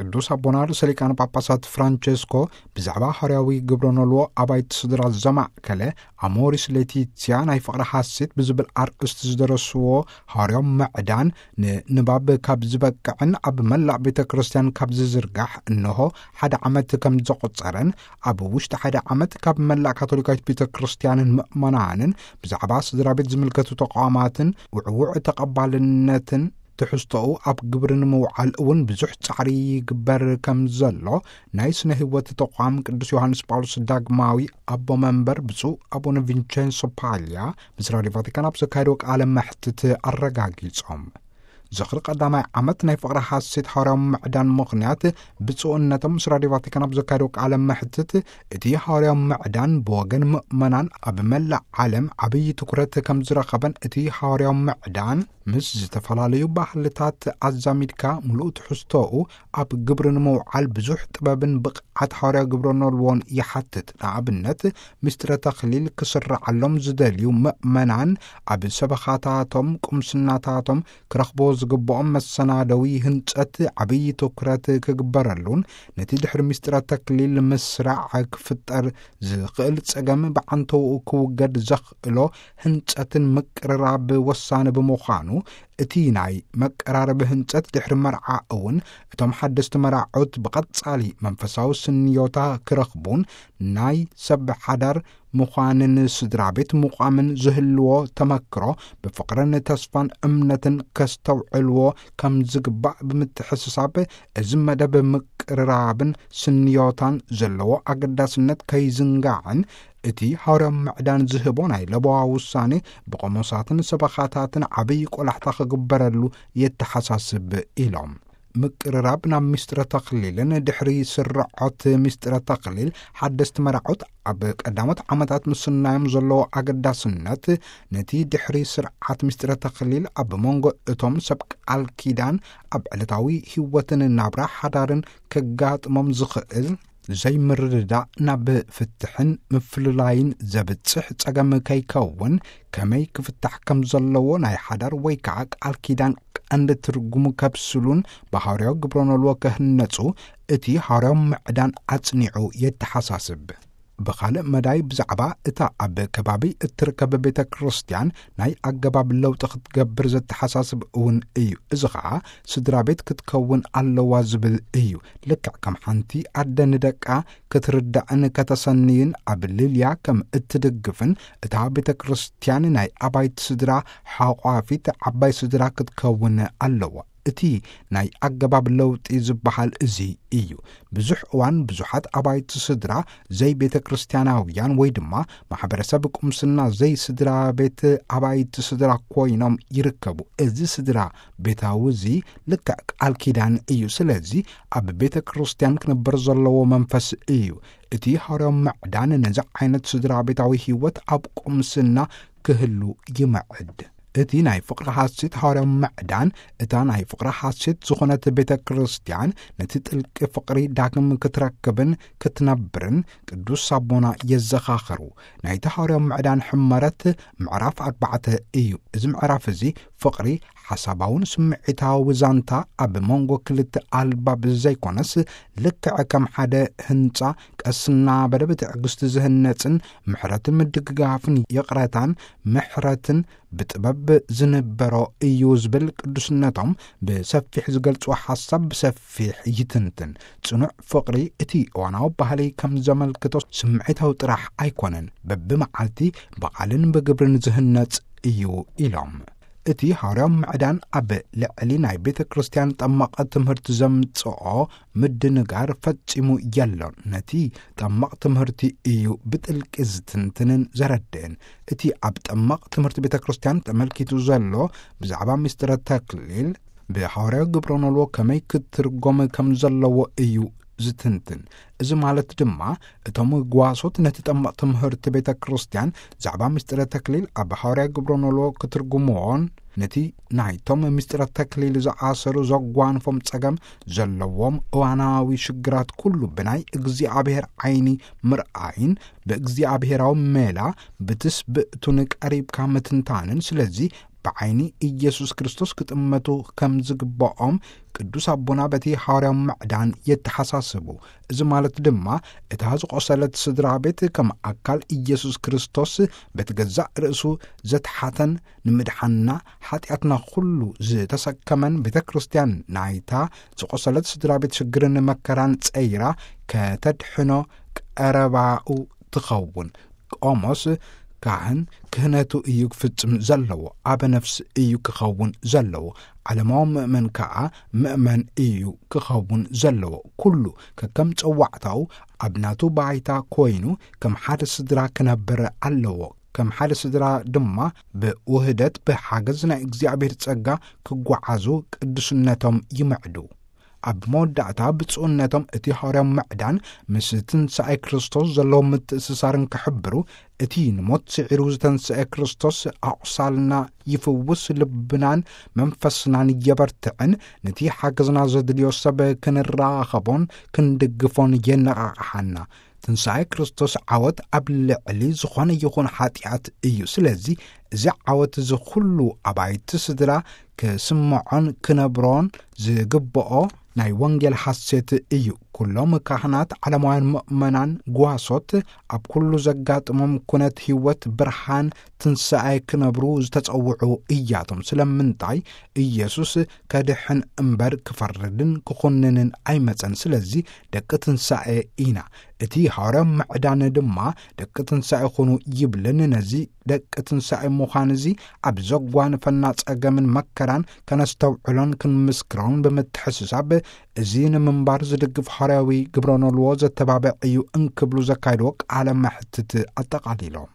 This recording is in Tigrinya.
ቅዱስ ኣቦና ርእሰ ሊቃነ ጳጳሳት ፍራንቸስኮ ብዛዕባ ሃዋርያዊ ግብረ ኖልዎ ኣባይቲ ስድራ ዘማእከለ ኣሞሪስ ሌቲትያ ናይ ፍቕሪ ሓሴት ብዝብል ኣርእስቲ ዝደረስዎ ሃዋርያዊ ምዕዳን ንንባብ ካብ ዝበቅዕን ኣብ መላእ ቤተ ክርስቲያን ካብ ዝዝርጋሕ እንሆ ሓደ ዓመት ከም ዘቖጸረን፣ ኣብ ውሽጢ ሓደ ዓመት ካብ መላእ ካቶሊካዊት ቤተ ክርስቲያንን ምእመናንን ብዛዕባ ስድራ ቤት ዝምልከቱ ተቋማትን ውዕውዕ ተቐባልነትን ትሕዝቶኡ ኣብ ግብሪ ንምውዓል እውን ብዙሕ ጻዕሪ ይግበር ከም ዘሎ ናይ ስነ ህይወት ተቋም ቅዱስ ዮሃንስ ጳውሎስ ዳግማዊ ኣቦ መንበር ብፁዕ ኣቡነ ቪንቸንሶ ፓልያ ምስ ራዲዮ ቫቲካን ኣብ ዘካየደዎ ቃለ መሕትት ኣረጋጊጾም። ዝኽሪ ቀዳማይ ዓመት ናይ ፍቕሪ ሓሴት ሃዋርያዊ ምዕዳን ምኽንያት ብፁዕነቶም ምስ ራዲዮ ቫቲካን ኣብ ዘካየደዎ ቃለ መሕትት፣ እቲ ሃዋርያዊ ምዕዳን ብወገን ምእመናን ኣብ መላእ ዓለም ዓብዪ ትኩረት ከም ዝረኸበን እቲ ሃዋርያዊ ምዕዳን ምስ ዝተፈላለዩ ባህልታት ኣዛሚድካ ምሉእ ትሕዝቶኡ ኣብ ግብሪ ንምውዓል ብዙሕ ጥበብን ብቕዓት ሃዋርያዊ ግብረ ኖልዎን ይሓትት። ንኣብነት፣ ምስጢረ ተኽሊል ክስረዓሎም ዝደልዩ ምእመናን ኣብ ሰበኻታቶም፣ ቁምስናታቶም ክረኽቦ ዝግብኦም መሰናደዊ ህንጸት ዓብዪ ትኩረት ክግበረሉን ነቲ ድሕሪ ምስጢረ ተክሊል ምስራዕ ክፍጠር ዝኽእል ጸገም ብዓንተውኡ ክውገድ ዘኽእሎ ህንጸትን ምቅርራብ ወሳኒ ብምዃኑ፣ እቲ ናይ መቀራረቢ ህንጸት ድሕሪ መርዓ እውን እቶም ሓደስቲ መራዑት ብቐጻሊ መንፈሳዊ ስንዮታ ክረኽቡን ናይ ሰብ ሓዳር ምዃንን ስድራ ቤት ምቋምን ዝህልዎ ተመክሮ ብፍቕርን ተስፋን እምነትን ከስተውዕልዎ ከም ዝግባእ ብምትሕስሳብ፣ እዚ መደብ ምቅርራብን ስንዮታን ዘለዎ ኣገዳስነት ከይዝንጋዕን እቲ ሃዋርያዊ ምዕዳን ዝህቦ ናይ ለበዋ ውሳኔ ብቆሞሳትን ሰበኻታትን ዓብዪ ቆላሕታ ክግበረሉ የተሓሳስብ ኢሎም። ምቅርራብ ናብ ምስጢረ ተኽሊልን ድሕሪ ስርዖት ምስጢረ ተኽሊል ሓደስቲ መራዖት ኣብ ቀዳሞት ዓመታት ምስናዮም ዘለዎ ኣገዳስነት፣ ነቲ ድሕሪ ስርዓት ምስጢረ ተኽሊል ኣብ መንጎ እቶም ሰብ ቃል ኪዳን ኣብ ዕለታዊ ህይወትን ናብራ ሓዳርን ከጋጥሞም ዝኽእል ዘይምርድዳእ ናብ ፍትሕን ምፍልላይን ዘብጽሕ ጸገም ከይከውን ከመይ ክፍታሕ ከም ዘለዎ ናይ ሓዳር ወይ ከዓ ቃል ኪዳን ቀንዲ ትርጉሙ ከብስሉን ብሃዋርያዊ ግብረ ኖልዎ ክህነጹ እቲ ሃዋርያዊ ምዕዳን ኣጽኒዑ የተሓሳስብ። ብኻልእ መዳይ ብዛዕባ እታ ኣብ ከባቢ እትርከብ ቤተ ክርስቲያን ናይ ኣገባብ ለውጢ ክትገብር ዘተሓሳስብ እውን እዩ። እዚ ኸዓ ስድራ ቤት ክትከውን ኣለዋ ዝብል እዩ። ልክዕ ከም ሓንቲ ኣደ ንደቃ ክትርዳእን ከተሰንይን ኣብ ልልያ ከም እትድግፍን እታ ቤተ ክርስቲያን ናይ ኣባይቲ ስድራ ሓቋፊት ዓባይ ስድራ ክትከውን ኣለዋ። እቲ ናይ ኣገባብ ለውጢ ዝበሃል እዚ እዩ። ብዙሕ እዋን ብዙሓት ኣባይቲ ስድራ ዘይቤተ ክርስቲያናውያን ወይ ድማ ማሕበረሰብ ቁምስና ዘይስድራ ቤት ኣባይቲ ስድራ ኮይኖም ይርከቡ። እዚ ስድራ ቤታዊ እዚ ልክዕ ቃል ኪዳን እዩ። ስለዚ ኣብ ቤተ ክርስቲያን ክነበር ዘለዎ መንፈስ እዩ። እቲ ሃዋርያዊ ምዕዳን ነዚ ዓይነት ስድራ ቤታዊ ህይወት ኣብ ቁምስና ክህሉ ይምዕድ። እቲ ናይ ፍቕሪ ሓሴት ሃዋርያዊ ምዕዳን፣ እታ ናይ ፍቕሪ ሓሴት ዝኾነት ቤተ ክርስቲያን ነቲ ጥልቂ ፍቕሪ ዳግም ክትረክብን ክትነብርን ቅዱስ ኣቦና የዘኻኽሩ። ናይቲ ሃዋርያዊ ምዕዳን ሕመረት ምዕራፍ ኣርባዕተ እዩ። እዚ ምዕራፍ እዚ ፍቕሪ ሓሳባውን ስምዒታዊ ዛንታ ኣብ መንጎ ክልተ ኣልባብ ዘይኮነስ፣ ልክዕ ከም ሓደ ህንጻ ቀስ እናበለ ብትዕግስቲ ዝህነጽን ምሕረትን ምድግጋፍን ይቕረታን ምሕረትን ብጥበብ ዝንበሮ እዩ ዝብል ቅዱስነቶም ብሰፊሕ ዝገልጽዎ ሓሳብ ብሰፊሕ ይትንትን። ጽኑዕ ፍቕሪ እቲ እዋናዊ ባህሊ ከም ዘመልክቶ ስምዒታዊ ጥራሕ ኣይኮነን፣ በብመዓልቲ ብቓልን ብግብርን ዝህነጽ እዩ ኢሎም። እቲ ሃዋርያዊ ምዕዳን ኣብ ልዕሊ ናይ ቤተ ክርስቲያን ጠማቐ ትምህርቲ ዘምጽኦ ምድንጋር ፈጺሙ የሎን። ነቲ ጠማቕ ትምህርቲ እዩ ብጥልቂ ዝትንትንን ዘረድእን። እቲ ኣብ ጠማቕ ትምህርቲ ቤተ ክርስቲያን ተመልኪቱ ዘሎ ብዛዕባ ምስጢረ ተክሊል ብሃዋርያዊ ግብረ ኖልዎ ከመይ ክትርጎም ከም ዘለዎ እዩ ዝትንትን። እዚ ማለት ድማ እቶም ጓሶት ነቲ ጠማቕ ትምህርቲ ቤተ ክርስቲያን ዛዕባ ምስጢረ ተክሊል ኣብ ሃዋርያዊ ግብረ ኖልዎ ክትርጉምዎን ነቲ ናይቶም ምስጢረ ተክሊል ዝኣሰሩ ዘጓንፎም ጸገም ዘለዎም እዋናዊ ሽግራት ኩሉ ብናይ እግዚኣብሔር ዓይኒ ምርኣይን ብእግዚኣብሔራዊ ሜላ ብትስብእቱን ቀሪብካ ምትንታንን። ስለዚ ብዓይኒ ኢየሱስ ክርስቶስ ክጥመቱ ከም ዝግብኦም ቅዱስ ኣቦና በቲ ሃዋርያዊ ምዕዳን የተሓሳስቡ። እዚ ማለት ድማ እታ ዝቆሰለት ስድራ ቤት ከም ኣካል ኢየሱስ ክርስቶስ በቲ ገዛእ ርእሱ ዘትሓተን ንምድሓንና ሓጢኣትና ኩሉ ዝተሰከመን ቤተ ክርስቲያን ናይታ ዝቆሰለት ስድራ ቤት ሽግርን መከራን ጸይራ ከተድሕኖ ቀረባኡ ትኸውን። ቆሞስ ካህን ክህነቱ እዩ ክፍጽም ዘለዎ፣ ኣበ ነፍስ እዩ ክኸውን ዘለዎ። ዓለማዊ ምእመን ከኣ ምእመን እዩ ክኸውን ዘለዎ። ኩሉ ከከም ጸዋዕታኡ ኣብ ናቱ ባይታ ኮይኑ ከም ሓደ ስድራ ክነብር ኣለዎ። ከም ሓደ ስድራ ድማ ብውህደት ብሓገዝ ናይ እግዚኣብሔር ጸጋ ክጓዓዙ ቅዱስነቶም ይምዕዱ። ኣብ መወዳእታ ብፁዕነቶም እቲ ሃዋርያዊ ምዕዳን ምስ ትንሳኤ ክርስቶስ ዘለዎም ምትእስሳርን ክሕብሩ፣ እቲ ንሞት ስዒሩ ዝተንስኤ ክርስቶስ ኣቑሳልና ይፍውስ፣ ልብናን መንፈስናን የበርትዕን፣ ነቲ ሓገዝና ዘድልዮ ሰብ ክንራኸቦን ክንድግፎን የነቓቕሓና። ትንሳኤ ክርስቶስ ዓወት ኣብ ልዕሊ ዝኾነ ይኹን ሓጢኣት እዩ። ስለዚ እዚ ዓወት እዚ ኩሉ ኣባይቲ ስድራ ክስምዖን ክነብሮን ዝግብኦ ናይ ወንጌል ሓሴት እዩ። ኩሎም ካህናት፣ ዓለማውያን ምእመናን፣ ጓሶት ኣብ ኩሉ ዘጋጥሞም ኩነት ህይወት ብርሃን ትንሳኤ ክነብሩ ዝተጸውዑ እያቶም። ስለምንታይ? ኢየሱስ ከድሕን እምበር ክፈርድን ክኹንንን ኣይመጸን። ስለዚ ደቂ ትንሳኤ ኢና። እቲ ሃዋርያዊ ምዕዳን ድማ ደቂ ትንሳኤ ኩኑ ይብልን። ነዚ ደቂ ትንሳኤ ምዃን እዚ ኣብ ዘጓንፈና ጸገምን መከራን ከነስተውዕሎን ክንምስክሮን ብምትሕስሳብ እዚ ንምንባር ዝድግፍ ሃዋርያዊ ግብረ ኖልዎ ዘተባብዕ እዩ እንክብሉ ዘካየድዎ ቃለ መሕትት ኣጠቓሊሎም።